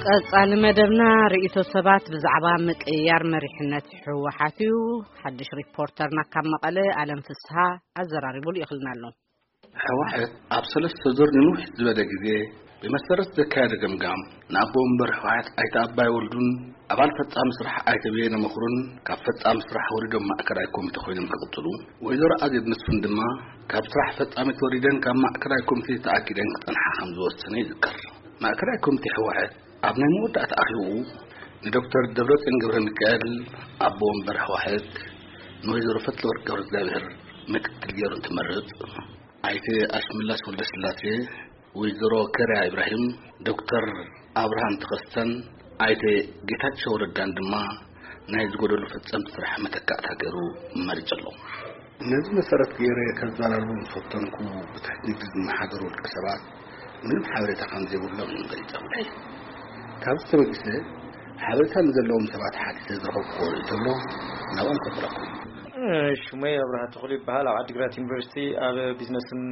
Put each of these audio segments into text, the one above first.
ቀጻሊ መደብና ርእይቶ ሰባት ብዛዕባ ምቅይያር መሪሕነት ህወሓት እዩ። ሓድሽ ሪፖርተርና ካብ መቐለ ኣለም ፍስሃ ኣዘራሪቡ ልኢኽልና ኣሎ። ህወሓት ኣብ ሰለስተ ዙር ንንውሕ ዝበለ ግዜ ብመሰረት ዘካየደ ገምጋም፣ ንኣቦ ወንበር ህወሓት ኣይተ ኣባይ ወልዱን ኣባል ፈጻሚ ስራሕ ኣይተ በየነ መኽሩን ካብ ፈጻሚ ስራሕ ወሪዶም ማእከላይ ኮሚቴ ኮይኖም ክቕጽሉ፣ ወይዘሮ ኣዜብ መስፍን ድማ ካብ ስራሕ ፈጻሚት ወሪደን ካብ ማእከላይ ኮሚቴ ተኣጊደን ክጸንሓ ከም ዝወሰነ ይዝከር። ማእከላይ ኮሚቴ ህወሓት ኣብ ናይ መወዳእታ ኣኼባኡ ንዶክተር ደብረጽዮን ገብረ ሚካኤል ኣቦ ወንበር ህወሓት፣ ንወይዘሮ ፈትለወርቅ ገብረ እግዚኣብሔር ምክትል ገይሩ እንትመርጽ፣ ኣይተ ኣሽመላሽ ወልደስላሴ፣ ወይዘሮ ከርያ ኢብራሂም፣ ዶክተር ኣብርሃም ተኸስተን ኣይተ ጌታቸው ረዳን ድማ ናይ ዝጎደሉ ፈጸምቲ ስራሕ መተካእታ ገይሩ መሪጹ ኣሎ። ነዚ መሰረት ገይረ ከዘራርቦም ዝፈተንኩ ብትሕቲ ንግዲ ዝመሓደሩ ውልቀ ሰባት ምንም ሓበሬታ ከም ዘይብሎም እዮም ገሊጾምለይ። ካብዚ ተበጊሰ ሓበሬታ ንዘለዎም ሰባት ሓቲተ ዝረኸብኩዎ ርእይቶ ኣሎ፣ ናብኦም ከብረኩም። ሽመይ ኣብርሃ ተኽሉ ይበሃል። ኣብ ዓዲግራት ዩኒቨርሲቲ ኣብ ቢዝነስን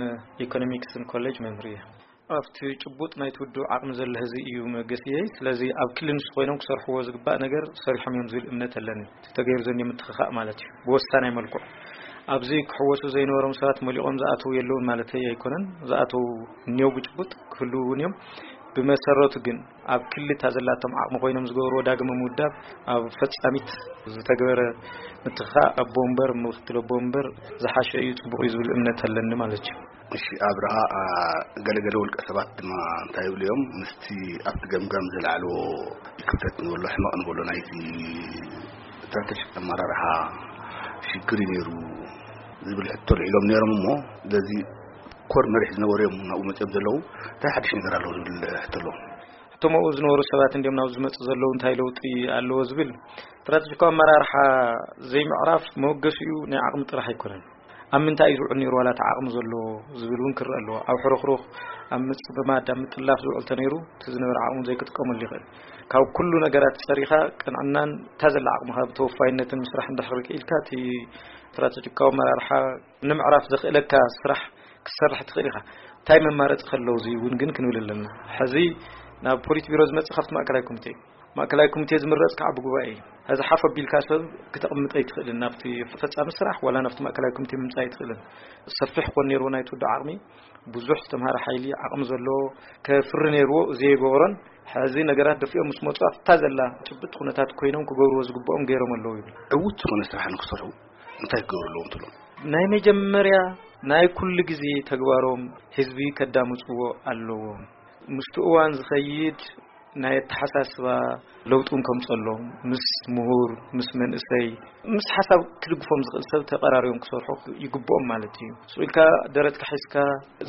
ኢኮኖሚክስን ኮሌጅ መምህር እየ። ኣብቲ ጭቡጥ ናይቲ ውድብ ዓቕሚ ዘሎ ህዝቢ እዩ መገሲየይ። ስለዚ ኣብ ክሊ ንሱ ኮይኖም ክሰርሕዎ ዝግባእ ነገር ሰሪሖም እዮም ዝብል እምነት ኣለኒ። እቲ ተገይሩ ዘሎ ምትኽኻእ ማለት እዩ። ብወሳናይ መልክዑ ኣብዚ ክሕወሱ ዘይነበሮም ሰባት መሊቖም ዝኣተዉ የለውን ማለተይ ኣይኮነን። ዝኣተዉ እኒው ብጭቡጥ ክህልዉ እውን እዮም። ብመሰረቱ ግን ኣብ ክሊ እታ ዘላቶም ዓቕሚ ኮይኖም ዝገበርዎ ዳግመ ምውዳብ ኣብ ፈጻሚት ዝተገበረ ምትኽኻእ ኣቦ ወንበር፣ ምክትል ኣቦ ወንበር ዝሓሸ እዩ፣ ጽቡቕ እዩ ዝብል እምነት ኣለኒ ማለት እዩ። እሺ ኣብርሃ፣ አ፣ ገለገለ ውልቀ ሰባት ድማ እንታይ ይብሉ እዮም? ምስቲ ኣብቲ ገምጋም ዝለዓልዎ ክፍተት ንበሎ ሕመቕ ንበሎ ናይቲ ስትራተጂክ ኣመራርሓ ሽግር እዩ ነይሩ ዝብል ሕቶ ኣልዒሎም ነይሮም እሞ፣ በዚ ኮር መሪሕ ዝነበሩ እዮም ናብኡ መፅኦም ዘለዉ። እንታይ ሓድሽ ነገር ኣለዎ ዝብል ሕቶ ኣለዎም። እቶም ኣብኡ ዝነበሩ ሰባት እንዲዮም ናብዚ ዝመፁ ዘለዉ እንታይ ለውጢ ኣለዎ ዝብል ስትራተጂካዊ ኣመራርሓ ዘይምዕራፍ መወገሲኡ ናይ ዓቕሚ ጥራሕ ኣይኮነን። ኣብ ምንታይ እዩ ዝውዕል ነይሩ ዋላ እቲ ዓቕሚ ዘሎ ዝብል እውን ክረአ ኣለዎ። ኣብ ሕርኽሩኽ፣ ኣብ ምፅምማድ፣ ኣብ ምጥላፍ ዝውዕል ተነይሩ እቲ ዝነበረ ዓቕሚ ዘይክጥቀመሉ ይኽእል። ካብ ኩሉ ነገራት ሰሪኻ ቅንዕናን እታ ዘላ ዓቕምኻ ብተወፋይነትን ምስራሕ እንድሕር ክኢልካ እቲ ስትራተጂካዊ ኣመራርሓ ንምዕራፍ ዘኽእለካ ስራሕ ክትሰርሕ ትኽእል ኢኻ። እንታይ መማረፂ ከለዉ እዚ እውን ግን ክንብል ኣለና። ሕዚ ናብ ፖሊት ቢሮ ዝመፅእ ካብቲ ማእከላይ ኮሚቴ እዩ። ማእከላይ ኮሚቴ ዝምረፅ ከዓ ብጉባኤ እዩ። ሕዚ ሓፍ ኣቢልካ ሰብ ክተቕምጥ ኣይትኽእልን። ናብቲ ፈፃሚ ስራሕ ዋላ ናብቲ ማእከላይ ኮሚቴ ምምፃእ ኣይትኽእልን። ሰፊሕ ኮን ነይርዎ ናይቲ ውድብ ዓቕሚ፣ ብዙሕ ዝተምሃረ ሓይሊ ዓቕሚ ዘለዎ ከፍሪ ነይርዎ፣ ዘይገበሮን ሕዚ ነገራት ደፊኦም ምስ መፁ ኣብታ ዘላ ጭብጥ ኩነታት ኮይኖም ክገብርዎ ዝግብኦም ገይሮም ኣለዉ ይብል። ዕዉት ዝኾነ ስራሕ ንክሰርሑ እንታይ ክገብሩ ኣለዎም ትብሎም? ናይ መጀመርያ ናይ ኩሉ ግዜ ተግባሮም ህዝቢ ከዳምፅዎ ኣለዎም። ምስቲ እዋን ዝኸይድ ናይ ኣተሓሳስባ ለውጥን ከምፀሎም፣ ምስ ምሁር፣ ምስ መንእሰይ፣ ምስ ሓሳብ ክድግፎም ዝኽእል ሰብ ተቐራሪቦም ክሰርሑ ይግብኦም ማለት እዩ። ስቕ ኢልካ ደረትካ ሒዝካ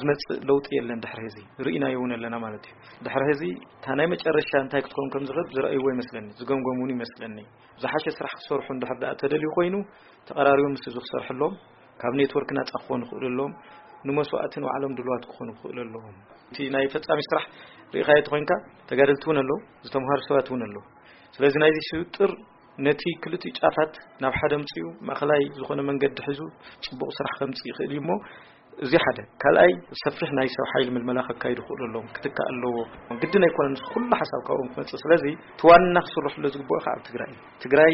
ዝመፅእ ለውጢ የለን። ድሕሪ ህዚ ርኢናዮ እውን ኣለና ማለት እዩ። ድሕሪ ህዚ እታ ናይ መጨረሻ እንታይ ክትከውን ከም ዝኽእል ዝረኣይዎ ይመስለኒ፣ ዝገምገሙ እውን ይመስለኒ። ዝሓሸ ስራሕ ክሰርሑ እንድሕር ደኣ ተደልዩ ኮይኑ፣ ተቐራሪቦም ምስ ህዝቢ ክሰርሑ ኣለዎም። ካብ ኔትወርክ ናጻ ክኾኑ ይኽእሉ ኣለዎም። ንመስዋእቲ ንባዕሎም ድልዋት ክኾኑ ይኽእሉ ኣለዎም። እቲ ናይ ፈጻሚ ስራሕ ርኢኻዮ ተኾይንካ፣ ተጋደልቲ እውን ኣለዉ፣ ዝተምሃሩ ሰባት እውን ኣለዉ። ስለዚ ናይዚ ስውጥር ነቲ ክልቲኡ ጫፋት ናብ ሓደ ኣምጺኡ ማእኸላይ ዝኾነ መንገዲ ሒዙ ጽቡቕ ስራሕ ከምጽእ ይኽእል እዩ እሞ፣ እዚ ሓደ። ካልኣይ፣ ሰፊሕ ናይ ሰብ ሓይሊ ምልመላ ከካይዱ ይኽእሉ ኣለዎም፣ ክትካእ ኣለዎ። ግድን ኣይኮነን፣ እዚ ኩሉ ሓሳብ ካብኦም ክመጽእ። ስለዚ እቲ ዋና ክስርሕሉ ዝግብኦ ከዓ ኣብ ትግራይ እዩ። ትግራይ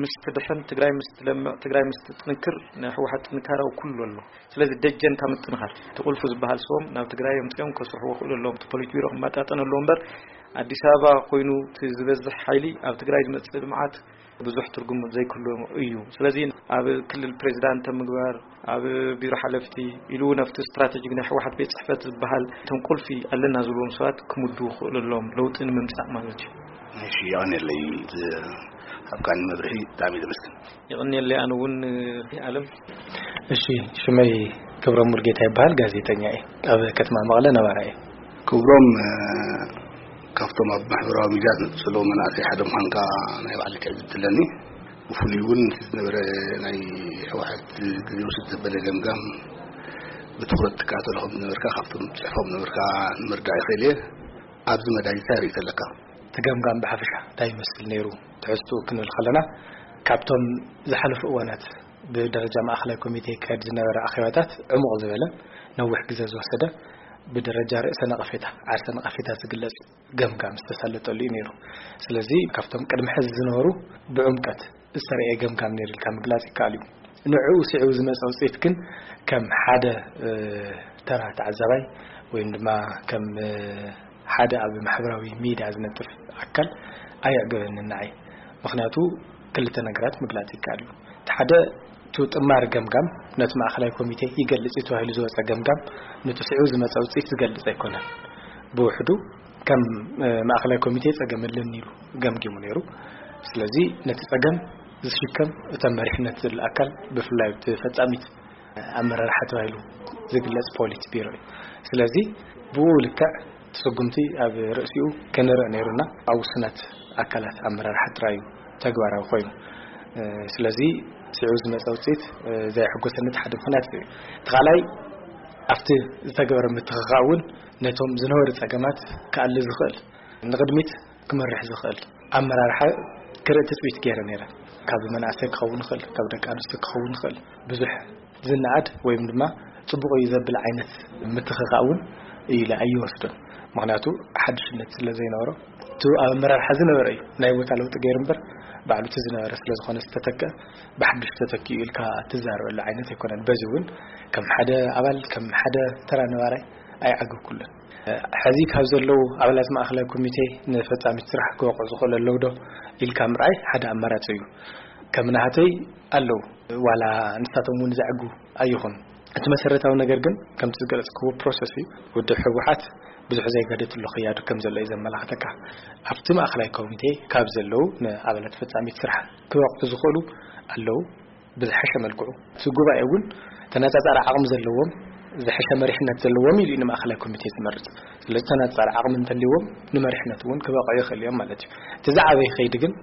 ምስ ትድሕን፣ ትግራይ ምስ ትለምዕ፣ ትግራይ ምስ ትጥንክር፣ ናይ ህወሓት ጥንካረ ኣብ ኩሉ ኣሎ። ስለዚ ደጀንካ ምጥንኻር፣ እቲ ቁልፊ ዝበሃል ሰቦም ናብ ትግራይ ኣምጺኦም ከስርሕዎ ይኽእሉ ኣለዎም። እቲ ፖሊት ቢሮ ክመጣጠን ኣለዎ እምበር፣ ኣዲስ ኣበባ ኮይኑ እቲ ዝበዝሕ ሓይሊ ኣብ ትግራይ ዝመጽእ ልምዓት ብዙሕ ትርጉም ዘይክህልዎ እዩ። ስለዚ ኣብ ክልል ፕሬዚዳንት ምግባር፣ ኣብ ቢሮ ሓለፍቲ ኢሉ እውን ኣብቲ ስትራቴጂክ ናይ ህወሓት ቤት ጽሕፈት ዝበሃል እቶም ቁልፊ ኣለና ዝብልዎም ሰባት ክምድቡ ክኽእሉ ኣለዎም፣ ለውጢ ንምምጻእ ማለት እዩ። እሺ፣ የቐንየለይ፣ ዝ-፣ ኣብካኒ መብርሂ ብጣዕሚ ዘመስግን። የቐንየለይ ኣነ እውን፣ ኣለም። እሺ፣ ሽመይ ክብሮም ሙልጌታ ይበሃል፣ ጋዜጠኛ እየ። ኣብ ከተማ መቐለ ነባራይ እየ። ክብሮም፣ እ፣ ካብቶም ኣብ ማሕበራዊ ሚድያ ዝነጥፉ ዘለዉ መናእሰይ ሓደ ምዃንካ ናይ ባዕለይ ትዕዝብቲ ኣለኒ። ብፍሉይ እውን እቲ ዝነበረ ናይ ህወሓት ግዜ ውስድ ዘበለ ገምጋም ብትኹረት ትከታተሎ ከም ዝነበርካ ካብቶም ጽሑፎም ነበርካ ንምርዳእ ይኽእል እየ። ኣብዚ መዳይ እንታይ ርእይቶ ኣለካ? እቲ ገምጋም ብሓፈሻ እንታይ ይመስል ነይሩ? ትሕዝትኡ ክንብል ከለና፣ ካብቶም ዝሓለፉ እዋናት ብደረጃ ማእኸላይ ኮሚቴ ይካየድ ዝነበረ ኣኼባታት ዕሙቕ ዝበለ፣ ነዊሕ ግዜ ዝወሰደ፣ ብደረጃ ርእሰ ነቐፌታ፣ ዓርሰ ነቐፌታ ዝግለጽ ገምጋም ዝተሳለጠሉ እዩ ነይሩ። ስለዚ ካብቶም ቅድሚ ሕዚ ዝነበሩ ብዕምቀት ዝተረኤ ገምጋም ነይሩ ኢልካ ምግላጽ ይከኣል እዩ። ንዕኡ ስዒቡ ዝመጸ ውጽኢት ግን ከም ሓደ፣ እ፣ ተራ ተዓዛባይ ወይም ድማ ከም፣ እ፣ ሓደ ኣብ ማሕበራዊ ሚድያ ዝነጥፍ ኣካል ኣየዕገበንን ንዓይ። ምኽንያቱ ክልተ ነገራት ምግላጽ ይከኣል እዩ። እቲ ሓደ፣ እቲ ጥማር ገምጋም ነቲ ማእከላይ ኮሚቴ ይገልጽ እዩ ተባሂሉ ዝወጸ ገምጋም፣ ነቲ ስዒቡ ዝመጸ ውጽኢት ዝገልጽ ኣይኮነን። ብውሕዱ ከም፣ እ፣ ማእከላይ ኮሚቴ ጸገም ኣለኒ ኢሉ ገምጊሙ ነይሩ። ስለዚ ነቲ ጸገም ዝሽከም እተን መሪሕነት ዘሎ ኣካል፣ ብፍላይ እቲ ፈጻሚት ኣመራርሓ ተባሂሉ ዝግለጽ ፖሊት ቢሮ እዩ። ስለዚ ብኡ ልክዕ ስጉምቲ ኣብ ርእሲኡ ከነርኢ ነይሩና። ኣብ ውሱናት ኣካላት ኣመራርሓ ጥራይ እዩ ተግባራዊ ኮይኑ። እ፣ ስለዚ ስዒቡ ዝመጸ ውጽኢት፣ እ፣ ዘየሐጎሰኒ እቲ ሓደ ምኽንያት እዩ። እቲ ካልኣይ፣ ኣብቲ ዝተገበረ ምትኽኻእ እውን ነቶም ዝነበሩ ጸገማት ክኣሊ ዝኽእል፣ ንቕድሚት ክመርሕ ዝኽእል ኣመራርሓ ክርኢ ትጽቢት ገይረ ነይረ። ካብ መናእሰይ ክኸውን ይኽእል፣ ካብ ደቂ ኣንስትዮ ክኸውን ይኽእል። ብዙሕ ዝነኣድ ወይም ድማ ጽቡቕ እዩ ዘብል ዓይነት ምትኽኻእ እውን ኢለ ኣይወስዶን። ምኽንያቱ ሓድሽነት ስለ ዘይነበሮ፣ እቲ ኣብ ኣመራርሓ ዝነበረ እዩ ናይ ቦታ ለውጢ ገይሩ እምበር፣ ባዕሉ እቲ ዝነበረ ስለ ዝኾነ ዝተተክአ፣ ብሓድሽ ተተኪኡ ኢልካ ትዛረበሉ ዓይነት ኣይኮነን። በዚ እውን ከም ሓደ ኣባል፣ ከም ሓደ ተራ ነባራይ ኣይዓገኩሉን። ሕዚ ካብ ዘለዉ ኣባላት ማእከላይ ኮሚቴ ንፈጻሚት ስራሕ ክበቕዑ ዝኽእሉ ኣለዉ ዶ ኢልካ ምርኣይ ሓደ ኣማራጺ እዩ። ከም ናህተይ ኣለዉ፣ ዋላ ንሳቶም እውን ዘዕጉ ኣይኹን። እቲ መሰረታዊ ነገር ግን ከምቲ ዝገለጽክዎ ፕሮሰስ እዩ። ውድብ ህወሓት ብዙሕ ዘይገደትሉ ክያዱ ከም ዘሎ እዩ ዘመላኽተካ። ኣብቲ ማእከላይ ኮሚቴ ካብ ዘለዉ ንኣባላት ፈጻሚት ስራሕ ክበቕዑ ዝኽእሉ ኣለዉ። ብዝሐሸ መልክዑ እቲ ጉባኤ እውን ተነጻጻሪ ዓቕሚ ዘለዎም፣ ዝሐሸ መሪሕነት ዘለዎም ኢሉ እዩ ንማእከላይ ኮሚቴ ዝመርጽ። ስለዚ ተነጻጻሪ ዓቕሚ እንተልይዎም ንመሪሕነት እውን ክበቕዑ ይኽእሉ እዮም ማለት እዩ። እቲ ዝዓበየ ከይዲ ግን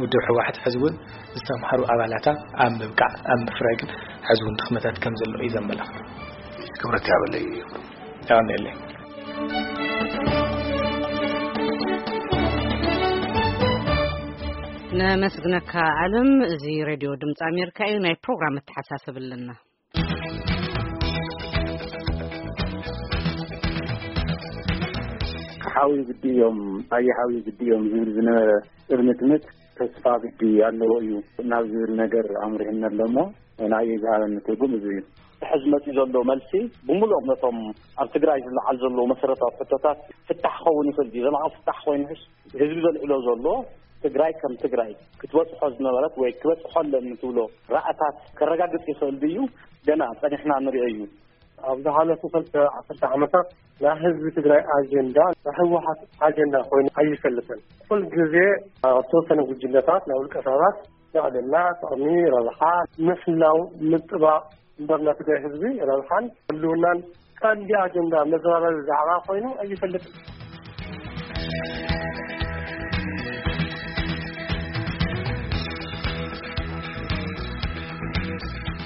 ውድብ ህወሓት ሕዚ እውን ዝተምሃሩ ኣባላታ ኣብ ምብቃዕ፣ ኣብ ምፍራይ ግን ሕዚ እውን ድኽመታት ከም ዘሎ እዩ ዘመላኽት። ክብረት ያበለይ እዩ። ያበለይ። ነመስግነካ ኣለም። እዚ ሬድዮ ድምፂ ኣሜሪካ እዩ። ናይ ፕሮግራም መተሓሳሰብ ኣለና። ሓዊ ግዲ እዮም፣ ኣየ ሓዊ ግዲ እዮም ዝብል ዝነበረ እርምትምት ተስፋ ግዲ ኣለዎ እዩ ናብ ዝብል ነገር ኣምሪሕና ኣሎ እሞ፣ ንኣየ ዝሃበኒ ትርጉም እዚ እዩ። ሕዚ መፂኡ ዘሎ መልሲ ብምሉኦም ነቶም ኣብ ትግራይ ዝለዓል ዘለዉ መሰረታዊ ሕቶታት ፍታሕ ክኸውን ይኽእል ድዩ? ዘላቒ ፍታሕ ኮይኑስ ህዝቢ ዘልዕሎ ዘሎ ትግራይ ከም ትግራይ ክትበፅሖ ዝነበረት ወይ ክበፅሖ ኣለኒ ትብሎ ራእታት ከረጋግፅ ይኽእል ድዩ? ገና ፀኒሕና ንሪኦ እዩ። ኣብ ዝሓለፉ ክልተ ዓሰርተ ዓመታት ናይ ህዝቢ ትግራይ ኣጀንዳ ናይ ህወሓት ኣጀንዳ ኮይኑ ኣይፈልጥን። ኩል ግዜ ኣብ ተወሰነ ጉጅለታት ናይ ውልቀ ሰባት ልዕልና፣ ጥቕሚ፣ ረብሓ፣ ምሕላው፣ ምጥባቕ እምበር ናይ ትግራይ ህዝቢ ረብሓን ህልውናን ቀንዲ ኣጀንዳ መዘራረቢ ዛዕባ ኮይኑ ኣይፈልጥን።